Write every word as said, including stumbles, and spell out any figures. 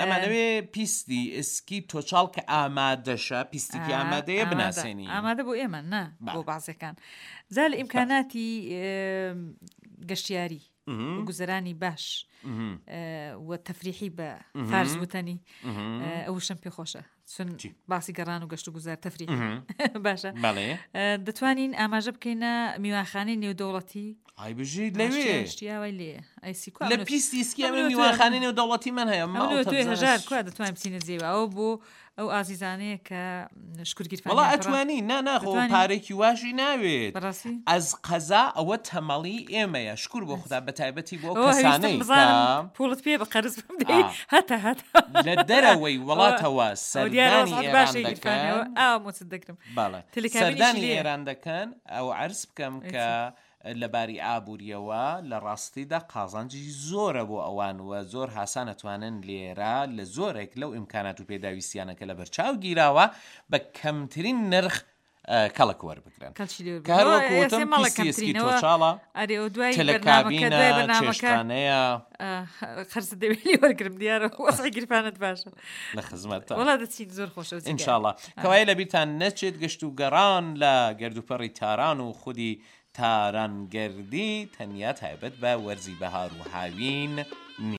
ئەمانەوێ پیستی ئسکی تۆچاڵ کە ئامادەشە پیستێکی ئامادەیە بناسێنی ئامادە بۆ ئێمە نا بۆ بازەکان جا لە ئیمکاناتی گەشتیاری گوزەرانی باش و تەفریحی بە فارس وتەنی ئەو شەم پێ خۆشە چون باسی گەڕان و گەشت و گوزار تەفریح باشە دەتوانین ئاماژە بکەینە میوانخانەی نێودەوڵەتی ئای بژیت لەوێ شتیاوای لێ ئەیسی لە پیستی ئیسکی ئەمە میوانخانەی نێودەوڵەتی من هەیە هەژار کوا دەتوانین بچینە جێوە ئەوە بۆ ئەو ئازیزانەیە کە شکرگیر وەڵا ئەتوانی نا ناخۆ پارێکی واشی ناوێت بەڕاستی ئەز قەزا ئەوە تەمەڵی ئێمەیە شکر بۆ خوددا بە تایبەتی بۆ کەسانەی پوڵت پێ بە قەرز بدەی هەتا هەتا لە دەرەوەی وڵاتەوە سەردانی ئێران دەکەن ئاومۆچت دەگرم بەڵێ سەردانی ئێران دەکەن ئەو عەرز بکەم کە لەباری ئابووریەوە لە ڕاستیدا قازانجی زۆرە بۆ ئەوان و زۆر هاسان ئەتوانن لێرە لە زۆرێک لەو ئیمکانات و پێداویستیانە کە لەبەرچاو گیراوە بە کەمترین نرخ کەڵک وەربگرن کە هەر وەکو وتم پیستی ئێسکی تۆچاڵە تەلەکابینە چێشتخانەیە قەرزت دەوێت لێ وەرگرم دیارە وەزعی گیرفانت باشە لە خزمەتە وەڵا دەچین زۆر خۆشە ئینشاڵڵا کەوایە لەبیرتان نەچێت گەشت و گەڕان لە گردوپەڕی تاران و خودی تارانگەردی تەنیا تایبەت بە وەرزی بەهار و هاوین نییە.